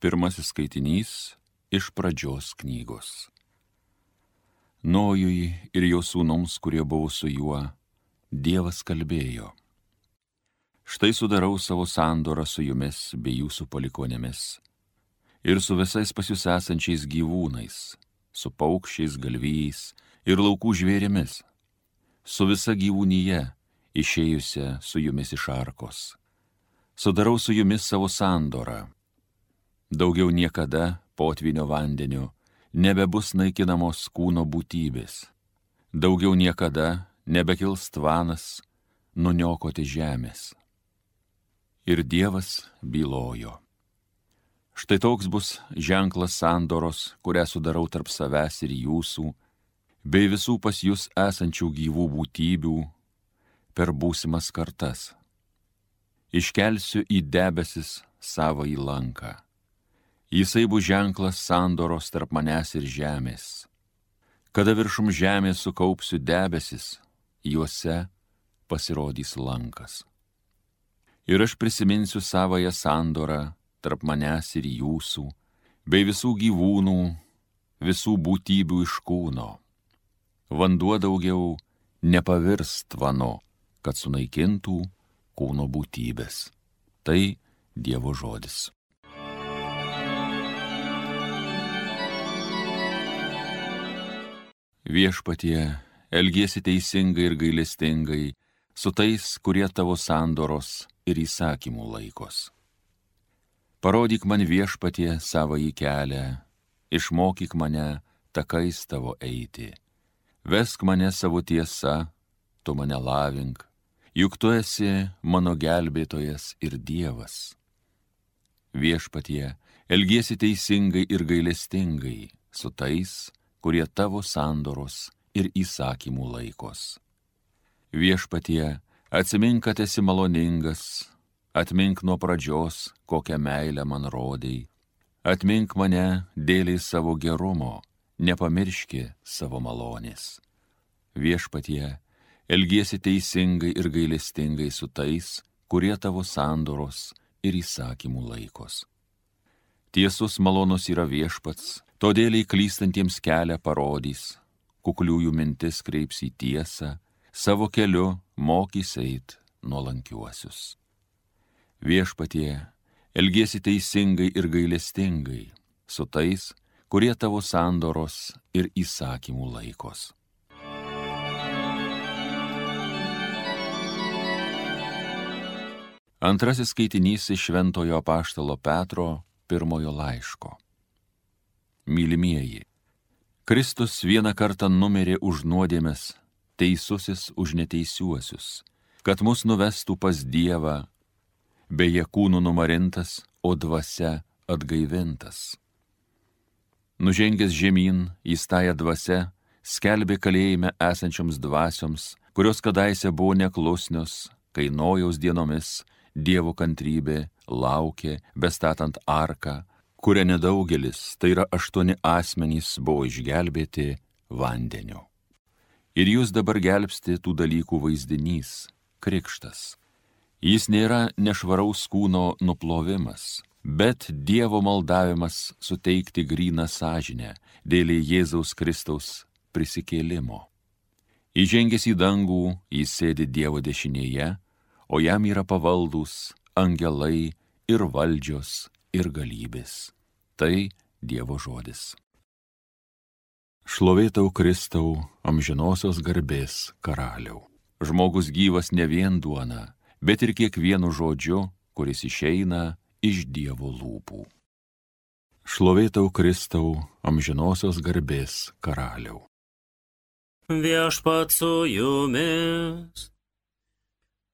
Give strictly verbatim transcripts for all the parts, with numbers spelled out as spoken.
Pirmasis skaitinys iš Pradžios knygos. Nojui ir jo sūnums, kurie buvo su juo, Dievas kalbėjo: Štai sudarau savo sandorą su jumis bei jūsų palikuonėmis ir su visais pas jūs esančiais gyvūnais, su paukščiais, galvijais ir laukų žvėrimis, su visa gyvūnyje išėjusia su jumis iš arkos. Sudarau su jumis savo sandorą. Daugiau niekada potvynio vandeniu nebebus naikinamos kūno būtybės. Daugiau niekada nebekils tvanas nuniokoti žemės. Ir Dievas bylojo: Štai toks bus ženklas sandoros, kurią sudarau tarp savęs ir jūsų, bei visų pas jūs esančių gyvų būtybių per būsimas kartas. Iškelsiu į debesis savąjį lanką. Jisai bus ženklas sandoros tarp manęs ir žemės. Kada viršum žemės sukaupsiu debesis, juose pasirodys lankas. Ir aš prisiminsiu savąją sandorą tarp manęs ir jūsų, bei visų gyvūnų, visų būtybių iš kūno. Vanduo daugiau nepavirs tvanu, kad sunaikintų kūno būtybės. Tai Dievo žodis. Viešpatie, elgiesi teisingai ir gailestingai su tais, kurie tavo sandoros ir įsakymų laikos. Parodyk man, Viešpatie, savąjį kelią, išmokyk mane takais tavo eiti. Vesk mane savo tiesa, tu mane lavink, juk tu esi mano gelbėtojas ir Dievas. Viešpatie, elgiesi teisingai ir gailestingai su tais, kurie tavo sandoros ir įsakymų laikos. Viešpatie, atsimink, kad esi maloningas, atmink nuo pradžios, kokią meilę man rodei, atmink mane dėliai savo gerumo, nepamirški savo malonės. Viešpatie, elgiesi teisingai ir gailestingai su tais, kurie tavo sandoros ir įsakymų laikos. Tiesus malonus yra Viešpats, todėl į klystantiems kelią parodys, kukliųjų mintis kreips į tiesą, savo keliu mokys eit nuolankiuosius. Viešpatie, elgiesi teisingai ir gailestingai su tais, kurie tavo sandoros ir įsakymų laikos. Antrasis skaitinys iš Šventojo apaštalo Petro pirmojo laiško. Mylimieji, Kristus vieną kartą numirė už nuodėmes, teisusis už neteisiuosius, kad mus nuvestų pas Dievą, beje kūnų numarintas, o dvasia atgaivintas. Nužengęs žemyn, jis tąją dvasią skelbė kalėjime esančioms dvasioms, kurios kadaise buvo neklusnios, kai Nojaus dienomis Dievo kantrybė laukė, bestatant arką, kuria nedaugelis, tai yra aštuoni asmenys, buvo išgelbėti vandeniu. Ir jūs dabar gelbsti tų dalykų vaizdinys, krikštas. Jis nėra nešvaraus kūno nuplovimas, bet Dievo maldavimas suteikti gryną sąžinę dėl Jėzaus Kristaus prisikėlimo. Įžengęs į dangų, jis sėdi Dievo dešinėje, o jam yra pavaldūs angelai ir valdžios ir galybės. Tai Dievo žodis. Šlovė tau, Kristau, amžinosios garbės karaliau. Žmogus gyvas ne vien duona, bet ir kiekvienu žodžiu, kuris išeina iš Dievo lūpų. Šlovė tau, Kristau, amžinosios garbės karaliau. Viešpats su jumis.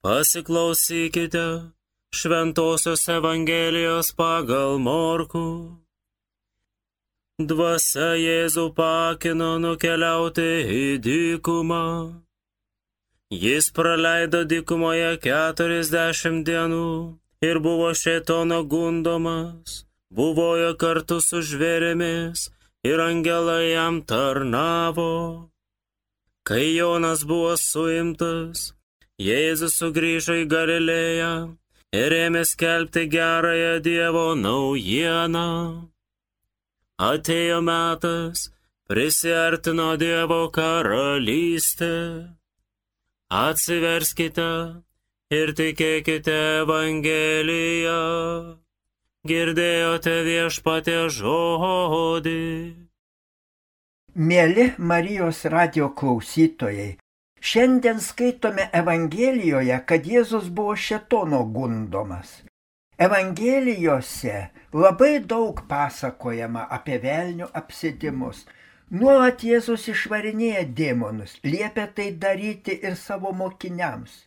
Pasiklausykite Šventosios Evangelijos pagal Morkų. Dvasia Jėzų pakino nukeliauti į dykumą. Jis praleido dykumoje keturiasdešimt dienų ir buvo šėtono gundomas, buvojo kartu su žvėrimis ir angelai jam tarnavo. Kai Jonas buvo suimtas, Jėzus sugrįžo į Galilėją ir ėmė skelbti gerąją Dievo naujieną. Atėjo metas, prisiartino Dievo karalystė. Atsiverskite ir tikėkite Evangeliją. Girdėjote Viešpaties žodį. Mieli Marijos radijo klausytojai, šiandien skaitome Evangelijoje, kad Jėzus buvo šėtono gundomas. Evangelijose labai daug pasakojama apie velnio apsėdimus. Nuolat Jėzus išvarinėja demonus, liepia tai daryti ir savo mokiniams.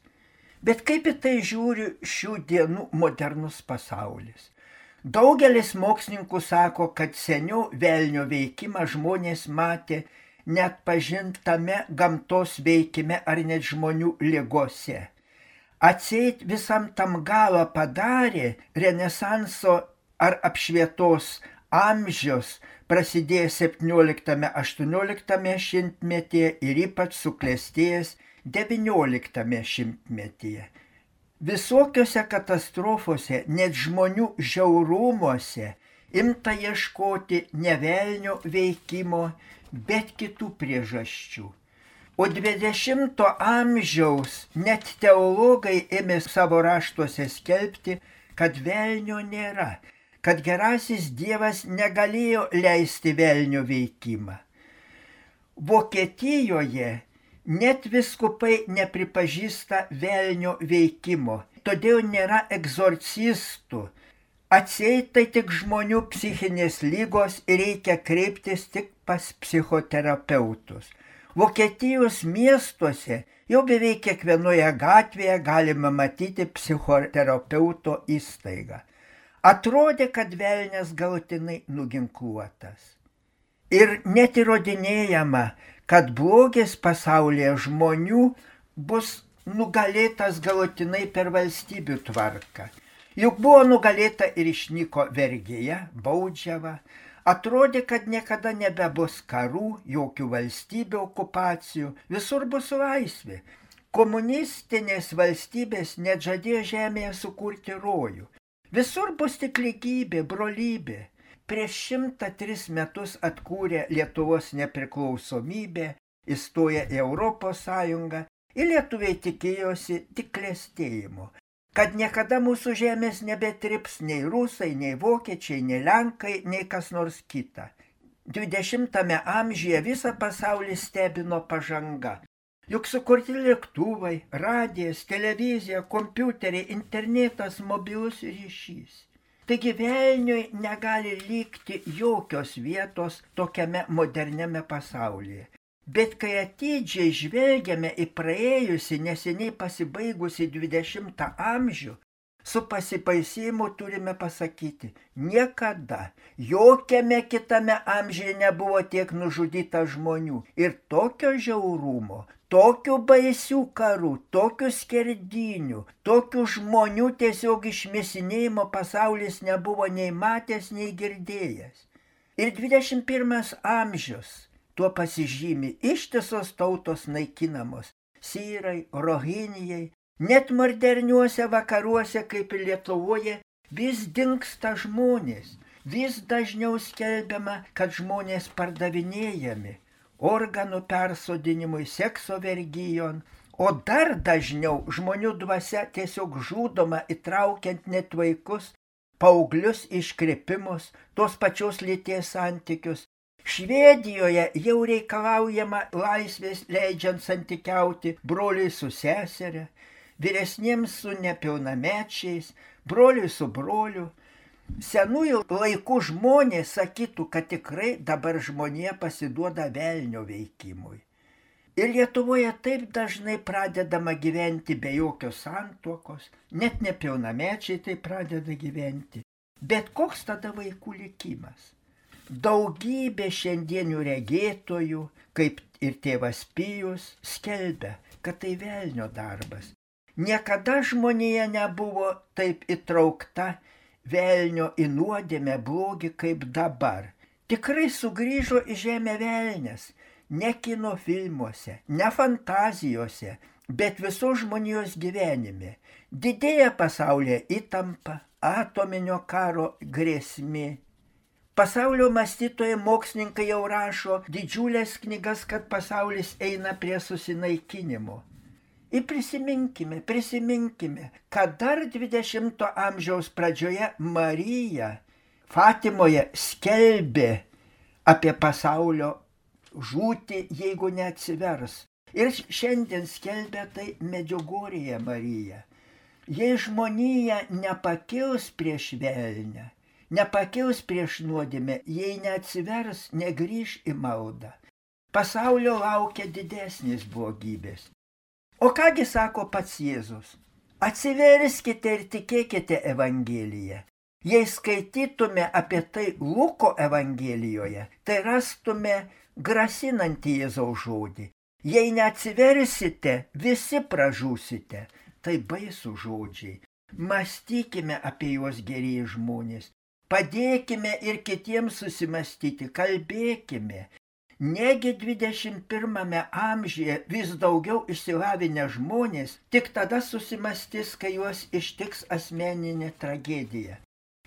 Bet kaip į tai žiūri šių dienų modernus pasaulis? Daugelis mokslininkų sako, kad seniau velnio veikimą žmonės matė net pažintame gamtos veikime ar net žmonių ligose. Atseit visam tam galą padarė Renesanso ar apšvietos amžius, prasidėjęs septynioliktame aštuonioliktame šimtmetyje ir ypač suklestėjęs devynioliktame šimtmetyje. Visokiose katastrofose, net žmonių žiaurumuose, imta ieškoti ne velnio veikimo, bet kitų priežasčių. O dvidešimto amžiaus net teologai ėmė savo raštuose skelbti, kad velnio nėra, kad gerasis Dievas negalėjo leisti velnio veikimą. Vokietijoje net vyskupai nepripažįsta velnio veikimo, todėl nėra egzorcistų. Atseit tai tik žmonių psichinės lygos ir reikia kreiptis tik pas psichoterapeutus. Vokietijos miestuose jau beveik kiekvienoje gatvėje galima matyti psichoterapeuto įstaigą. Atrodė, kad velnias galutinai nuginkluotas. Ir net įrodinėjama, kad blogis pasaulyje žmonių bus nugalėtas galutinai per valstybių tvarką. Juk buvo nugalėta ir išnyko vergija, baudžiava. Atrodė, kad niekada nebebus karų, jokių valstybių okupacijų, visur bus laisvė. Komunistinės valstybės net žadėjo žemėje sukurti rojų. Visur bus tik lygybė, brolybė. Prieš šimtą tris metus atkūrė Lietuvos nepriklausomybę, įstoję į Europos Sąjungą ir lietuviai tikėjosi tik klestėjimo, kad niekada mūsų žemės nebetrips nei rusai, nei vokiečiai, nei lenkai, nei kas nors kita. Dvidešimtame amžiuje visą pasaulį stebino pažanga. Juk sukurti lėktuvai, radijas, televizija, kompiuteriai, internetas, mobilus ryšys. Taigi velniui negali likti jokios vietos tokiame moderniame pasaulyje. Bet kai atidžiai žvelgiame į praėjusi neseniai pasibaigusi dvidešimtą amžių, su pasibaisėjimu turime pasakyti, niekada, jokiame kitame amžiuje nebuvo tiek nužudyta žmonių ir tokio žiaurumo, tokių baisių karų, tokių skerdynių, tokių žmonių tiesiog išmėsinėjimo pasaulis nebuvo nei matęs, nei girdėjęs. Ir dvidešimt pirmas amžius tuo pasižymi, ištisos tautos naikinamos, syrai, rohinijai, net moderniuose vakaruose kaip ir Lietuvoje vis dingsta žmonės, vis dažniau skelbiama, kad žmonės pardavinėjami organų persodinimui, sekso vergijon, o dar dažniau žmonių dvasia tiesiog žudoma įtraukiant net vaikus, paauglius iškrepimus, tos pačios lyties santykius. Švedijoje jau reikalaujama laisvės leidžiant santykiauti broliui su seserė, vyresniems su nepilnamečiais, broliui su broliu. Senųjų laikų žmonės sakytų, kad tikrai dabar žmonija pasiduoda velnio veikimui. Ir Lietuvoje taip dažnai pradedama gyventi be jokios santuokos, net nepilnamečiai tai pradeda gyventi. Bet koks tada vaikų likimas? Daugybė šiandienių regėtojų, kaip ir tėvas Pijus, skelbia, kad tai velnio darbas. Niekada žmonija nebuvo taip įtraukta velnio į nuodėmę blogį kaip dabar. Tikrai sugrįžo į žemę velnias, ne kino filmuose, ne fantazijose, bet visos žmonijos gyvenime. Didėja pasaulyje įtampa, atominio karo grėsmė. Pasaulio mąstytojai mokslininkai jau rašo didžiulės knygas, kad pasaulis eina prie susinaikinimo. Ir prisiminkime, prisiminkime, kad dar dvidešimto amžiaus pradžioje Marija Fatimoje skelbė apie pasaulio žūtį, jeigu neatsivers. Ir šiandien skelbia tai Medžiugorjėje Marija. Jei žmonija nepakils prieš velnią, nepakils prieš nuodėmę, jei neatsivers, negrįš į maldą. Pasaulio laukia didesnės blogybės. O kągi sako pats Jėzus? Atsiverskite ir tikėkite Evangeliją. Jei skaitytume apie tai Luko Evangelijoje, tai rastume grasinantį Jėzaus žodį. Jei neatsiversite, visi pražūsite. Tai baisų žodžiai. Mąstykime apie juos gerieji žmonės. Padėkime ir kitiems susimastyti, kalbėkime. Negi dvidešimt pirmame amžiuje vis daugiau išsilavinę žmonės tik tada susimastys, kai juos ištiks asmeninė tragedija.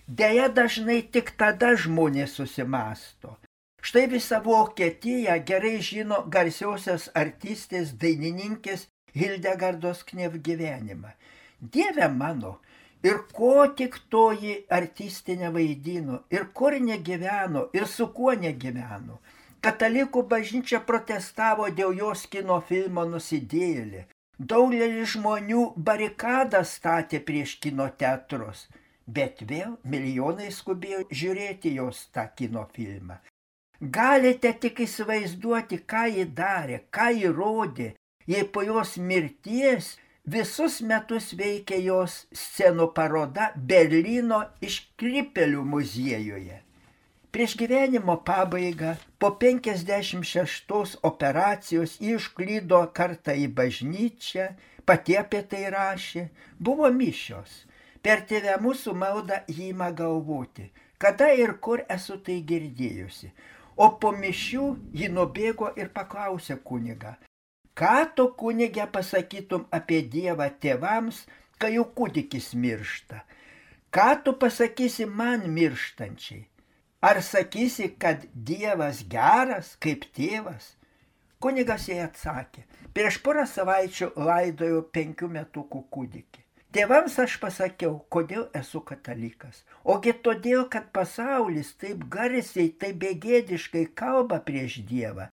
Deja, dažnai tik tada žmonės susimasto. Štai visą Vokietiją gerai žino garsiosios artistės, dainininkės Hildegardos Knef gyvenimą. Dieve mano, ir ko tik toji artistė nevaidino, ir kur negyveno, ir su kuo negyveno. Katalikų bažnyčia protestavo dėl jos kino filmo Nusidėjėlė. Daugelis žmonių barikadas statė prieš kino teatrus, bet vėl milijonai skubėjo žiūrėti jos tą kino filmą. Galite tik įsivaizduoti, ką ji darė, ką ji rodė, jei po jos mirties visus metus veikė jos scenų paroda Berlyno iškrypėlių muziejuje. Prieš gyvenimo pabaigą, po penkiasdešimt šeštos operacijos išklydo kartą į bažnyčią, pati apie tai rašė, buvo mišios. Per tėvę mūsų maldą jį ima galvoti, kada ir kur esu tai girdėjusi. O po mišių ji nubėgo ir paklausė kunigą, ką tu kunige pasakytum apie Dievą tėvams, kai jų kūdikis miršta? Ką tu pasakysi man mirštančiai? Ar sakysi, kad Dievas geras kaip tėvas? Kunigas jai atsakė, prieš porą savaičių laidojau penkių metukų kūdikį. Tėvams aš pasakiau, kodėl esu katalikas. Ogi todėl, kad pasaulis taip garsiai, taip begėdiškai kalba prieš Dievą.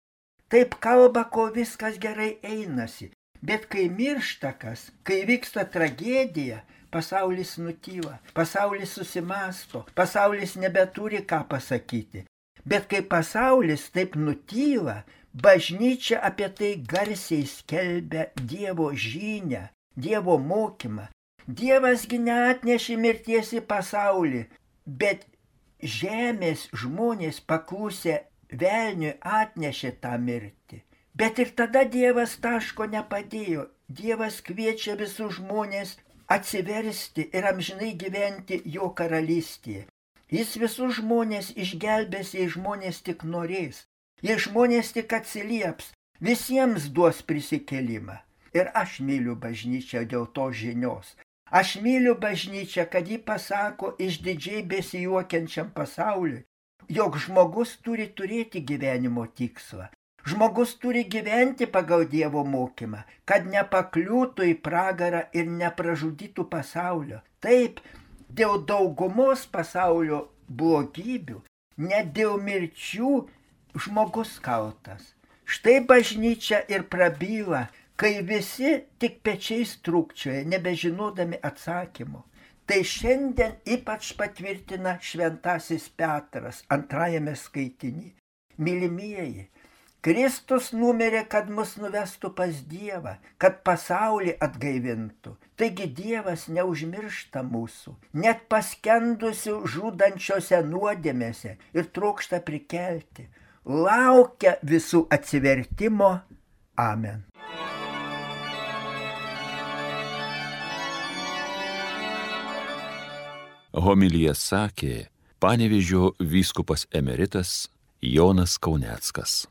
Taip kalba, kol viskas gerai einasi. Bet kai miršta kas, kai vyksta tragedija, pasaulis nutyla, pasaulis susimasto, pasaulis nebeturi ką pasakyti. Bet kai pasaulis taip nutyla, bažnyčia apie tai garsiai skelbia Dievo žinią, Dievo mokymą. Dievasgi neatnešė mirties į pasaulį, bet žemės žmonės paklusę velniui atnešė tą mirtį. Bet ir tada Dievas taško nepadėjo. Dievas kviečia visus žmonės atsiversti ir amžinai gyventi jo karalystėje. Jis visus žmonės išgelbės, jei žmonės tik norės. Jei žmonės tik atsilieps, visiems duos prisikėlimą. Ir aš myliu bažnyčią dėl to žinios. Aš myliu bažnyčią, kad ji pasako išdidžiai besijuokiančiam pasauliui, jog žmogus turi turėti gyvenimo tikslą. Žmogus turi gyventi pagal Dievo mokymą, kad nepakliūtų į pragarą ir nepražudytų pasaulio. Taip, dėl daugumos pasaulio blogybių, net dėl mirčių žmogus kaltas. Štai bažnyčia ir prabyla, kai visi tik pečiais trūkčioja, nebežinodami atsakymų. Tai šiandien ypač patvirtina šventasis Petras antrajame skaitiny. Mylimieji, Kristus numirė, kad mus nuvestų pas Dievą, kad pasaulį atgaivintų. Taigi Dievas neužmiršta mūsų, net paskendusių žudančiose nuodėmėse ir trokšta prikelti. Laukia visų atsivertimo. Amen. Homiliją sakė Panevėžio vyskupas emeritas Jonas Kauneckas.